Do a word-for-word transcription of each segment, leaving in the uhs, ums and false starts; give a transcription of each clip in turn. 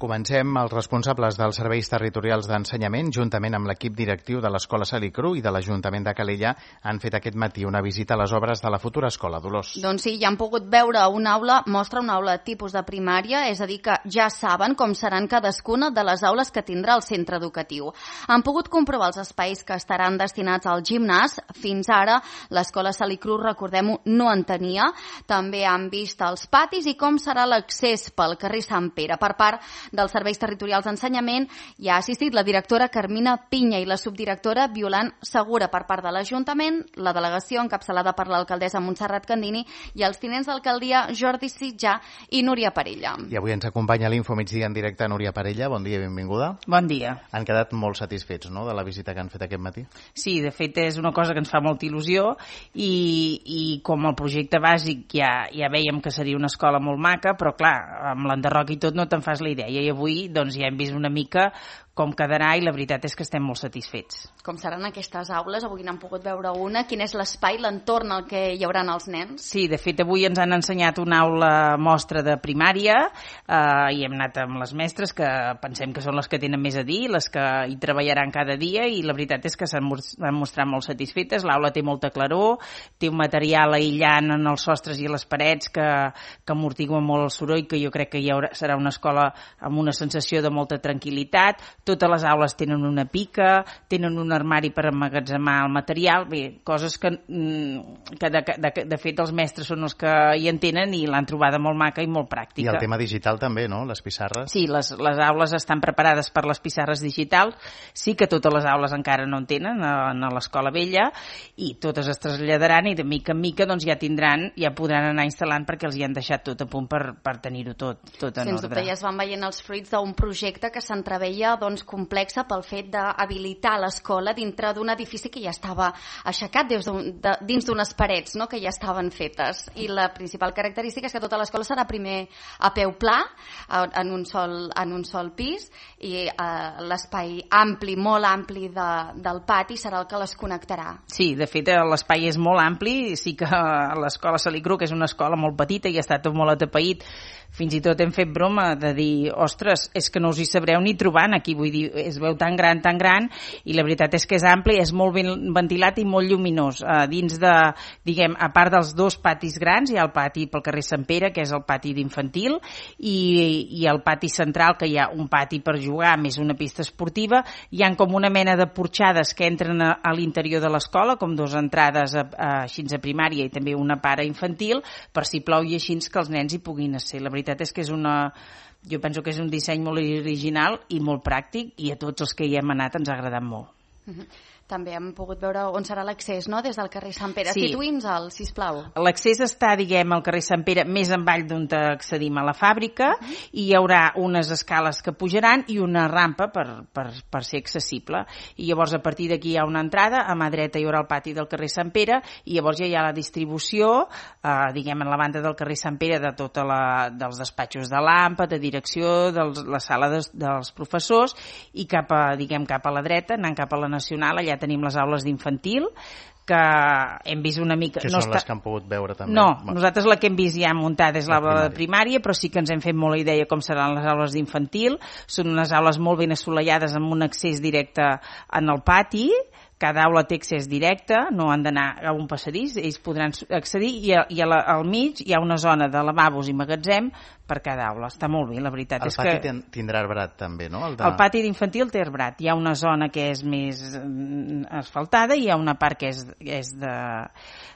Comencem. Els responsables dels serveis territorials d'ensenyament, juntament amb l'equip directiu de l'Escola Salicru i de l'Ajuntament de Calella, han fet aquest matí una visita a les obres de la futura escola, Dolors. Doncs sí, ja han pogut veure una aula, mostra una aula tipus de primària, és a dir, que ja saben com seran cadascuna de les aules que tindrà el centre educatiu. Han pogut comprovar els espais que estaran destinats al gimnàs. Fins ara, l'Escola Salicru, recordem-ho, no en tenia. També han vist els patis i com serà l'accés pel carrer Sant Pere. Per part dels serveis territorials d'ensenyament hi ha assistit la directora Carmina Pinya i la subdirectora Violant Segura. Per part de l'Ajuntament, la delegació encapçalada per l'alcaldessa Montserrat Candini i els tinents d'alcaldia Jordi Sitjà i Núria Parella. I avui ens acompanya a l'Info Migdia en directe Núria Parella. Bon dia i benvinguda. Bon dia. Han quedat molt satisfets, no?, de la visita que han fet aquest matí? Sí, de fet és una cosa que ens fa molta il·lusió i, i com el projecte bàsic ja, ja veiem que seria una escola molt maca, però clar, amb l'enderroc i tot no te'n fas la idea. I avui doncs, ja hem vist una mica com quedarà i la veritat és que estem molt satisfets. Com seran aquestes aules? Avui n'han pogut veure una. Quin és l'espai, l'entorn al que hi haurà els nens? Sí, de fet avui ens han ensenyat una aula mostra de primària eh, i hem anat amb les mestres que pensem que són les que tenen més a dir, les que hi treballaran cada dia, i la veritat és que s'han mostrat molt satisfetes. L'aula té molta claror, té un material aïllant en els sostres i a les parets que, que amortigua molt el soroll, que jo crec que hi haurà, serà una escola amb una sensació de molta tranquil·litat. Totes les aules tenen una pica, tenen un armari per emmagatzemar el material, bé, coses que, que de, de, de fet els mestres són els que hi entenen i l'han trobada molt maca i molt pràctica. I el tema digital també, no?, les pissarres. Sí, les, les aules estan preparades per les pissarres digitals, sí que totes les aules encara no en tenen a, a l'escola vella, i totes es traslladaran i de mica en mica doncs, ja tindran, ja podran anar instal·lant perquè els hi han deixat tot a punt per, per tenir-ho tot, tot en Sens ordre. dubte ja es van veient els fruits d'un projecte que s'entreveia doncs, complexa pel fet d'habilitar l'escola dintre d'un edifici que ja estava aixecat des d'un, de, dins d'unes parets, no?, que ja estaven fetes. I la principal característica és que tota l'escola serà primer a peu pla, en un sol, en un sol pis, i eh, l'espai ampli, molt ampli de, del pati serà el que les connectarà. Sí, de fet l'espai és molt ampli, sí que l'escola Salicru, que és una escola molt petita i ha estat molt atapeït, fins i tot hem fet broma de dir, ostres, és que no us hi sabreu ni trobant aquí, vull dir, es veu tan gran, tan gran, i la veritat és que és ampli, és molt ben ventilat i molt lluminós. Uh, dins de, diguem, a part dels dos patis grans, hi ha el pati pel carrer Sant Pere, que és el pati d'infantil, i, i el pati central, que hi ha un pati per jugar, més una pista esportiva, hi ha com una mena de porxades que entren a, a l'interior de l'escola, com dues entrades a, a, així a primària i també una part a infantil, per si plou i així que els nens hi puguin ser. La veritat és que és una... Jo penso que és un disseny molt original i molt pràctic, i a tots els que hi hem anat ens ha agradat molt. Uh-huh. També hem pogut veure on serà l'accés, no?, des del carrer Sant Pere. Sí. Situï'ns-el, sisplau. L'accés està, diguem, al carrer Sant Pere, més avall d'on accedim a la fàbrica, uh-huh. i hi haurà unes escales que pujaran i una rampa per, per, per ser accessible. I llavors, a partir d'aquí hi ha una entrada, a mà dreta hi haurà el pati del carrer Sant Pere, i llavors ja hi ha la distribució, eh, diguem, en la banda del carrer Sant Pere, de tota la, dels despatxos de l'AMPA, de direcció, de la sala de, dels professors, i cap a, diguem, cap a la dreta, anant cap a la Nacional, allà tenim les aules d'infantil, que hem vist una mica... Que no són està... les que han pogut veure també. No, bueno. nosaltres la que hem vist ja muntada és l'aula de primària, però sí que ens hem fet molt la idea com seran les aules d'infantil. Són unes aules molt ben assolellades amb un accés directe en el pati. Cada aula té accés directe, no han d'anar a un passadís, ells podran accedir, i, a, i a la, al mig hi ha una zona de lavabos i magatzem per cada aula. Està molt bé, la veritat. El és pati que... tindrà arbrat també, no? El, de... el pati d'infantil té arbrat. Hi ha una zona que és més asfaltada i hi ha una part que és, és de,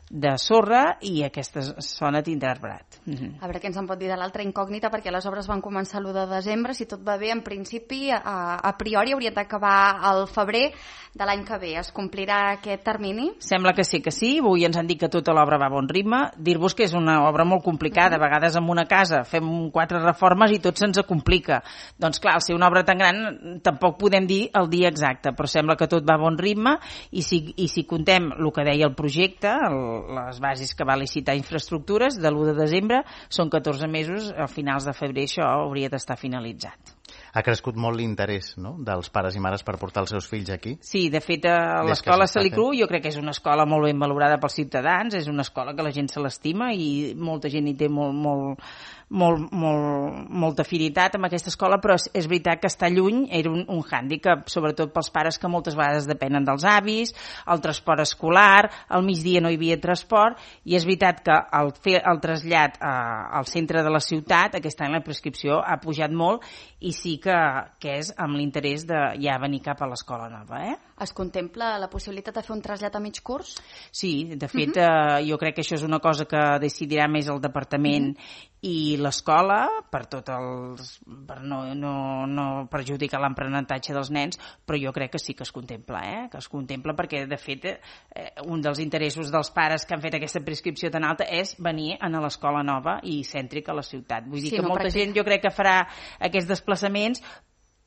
de sorra, i aquesta zona tindrà arbrat. Mm-hmm. A veure què ens en pot dir de l'altra incògnita, perquè les obres van començar l'u de desembre, si tot va bé, en principi, a, a priori haurien d'acabar al febrer de l'any que ve. Es complirà aquest termini? Sembla que sí que sí, avui ens han dit que tota l'obra va a bon ritme. Dir-vos que és una obra molt complicada, uh-huh. a vegades en una casa fem quatre reformes i tot se'ns complica. Doncs clar, al ser una obra tan gran tampoc podem dir el dia exacte, però sembla que tot va a bon ritme, i si, i si contem el que deia el projecte, el, les bases que va licitar infraestructures, de l'u de desembre, són catorze mesos, a finals de febrer això hauria d'estar finalitzat. Ha crescut molt l'interès, no?, dels pares i mares per portar els seus fills aquí. Sí, de fet, a l'escola Salicru jo crec que és una escola molt ben valorada pels ciutadans, és una escola que la gent se l'estima i molta gent hi té molt, molt, molt, molt, molta afinitat amb aquesta escola, però és, és veritat que estar lluny era un, un hàndicap, sobretot pels pares que moltes vegades depenen dels avis, el transport escolar, al migdia no hi havia transport, i és veritat que al fer el trasllat a, al centre de la ciutat, aquest any la prescripció ha pujat molt, i sí que, que és amb l'interès de ja venir cap a l'escola nova. Eh? Es contempla la possibilitat de fer un trasllat a mig curs? Sí, de fet, uh-huh. eh, jo crec que això és una cosa que decidirà més el departament uh-huh. i l'escola, per tot els, per no, no, no perjudicar l'aprenentatge dels nens, però jo crec que sí que es contempla, eh? que es contempla perquè, de fet, eh, un dels interessos dels pares que han fet aquesta prescripció tan alta és venir a l'escola nova i cèntrica a la ciutat. Vull dir sí, que molta pràctic. gent jo crec que farà aquests desplaçaments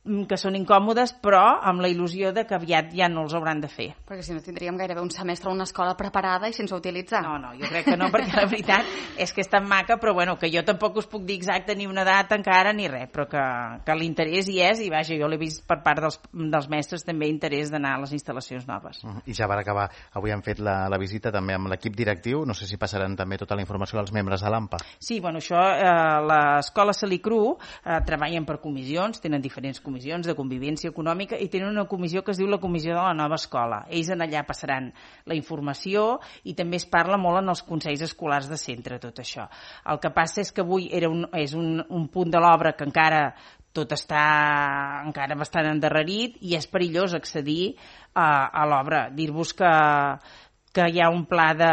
que són incòmodes, però amb la il·lusió de que aviat ja no els hauran de fer. Perquè si no tindríem gairebé un semestre a una escola preparada i sense utilitzar. No, no, jo crec que no, perquè la veritat és que és tan maca, però bueno, que jo tampoc us puc dir exacte ni una data encara ni res, però que, que l'interès hi és, i vaja, jo l'he vist per part dels, dels mestres també interès d'anar a les instal·lacions noves. Uh-huh. I ja per acabar, avui han fet la, la visita també amb l'equip directiu, no sé si passaran també tota la informació als membres de l'A M P A. Sí, bueno, això, eh, l'escola Salicru eh, treballen per comissions, tenen diferents comissions de convivència econòmica i tenen una comissió que es diu la Comissió de la Nova Escola. Ells en allà passaran la informació i també es parla molt en els consells escolars de centre, tot això. El que passa és que avui era un, és un, un punt de l'obra que encara tot està encara bastant endarrerit i és perillós accedir a, a l'obra. Dir-vos que que hi ha un pla de,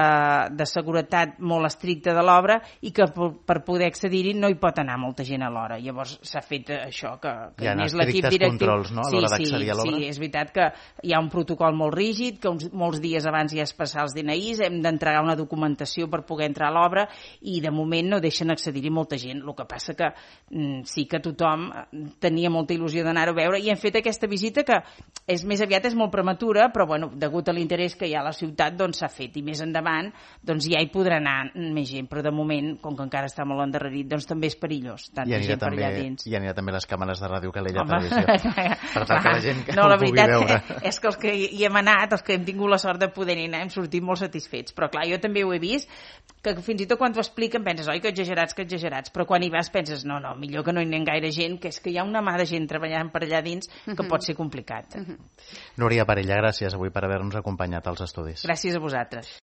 de seguretat molt estricte de l'obra i que per, per poder accedir-hi no hi pot anar molta gent a l'hora. Llavors s'ha fet això, que, que hi ha és l'equip directiu. Controls, no?, a l'hora sí, d'accedir sí, a l'obra. Sí, és veritat que hi ha un protocol molt rígid, que uns, molts dies abans hi ha de passar els D N Is, hem d'entregar una documentació per poder entrar a l'obra i de moment no deixen accedir-hi molta gent. El que passa que mm, sí que tothom tenia molta il·lusió d'anar-ho a veure i hem fet aquesta visita que és més aviat és molt prematura, però bueno, degut a l'interès que hi ha a la ciutat, doncs s'ha fet i més endavant doncs ja hi podrà anar més gent, però de moment, com que encara està molt endarrerit, doncs també és perillós, tanta gent per allà dins. I anirà també les càmeres de Ràdio Calella Televisió, per tal que la gent que no, ho la pugui veritat veure. És que els que hi hem anat, els que hem tingut la sort de poder anar, hem sortit molt satisfets, però clar, jo també ho he vist, que fins i tot quan t'ho expliquen penses, oi, que exagerats, que exagerats, però quan hi vas penses, no, no, millor que no hi anem gaire gent, que és que hi ha una mà de gent treballant per allà dins que uh-huh. pot ser complicat. Uh-huh. Núria Parella, gràcies avui per haver-nos acompanyat als estudis. Gràcies a vosaltres.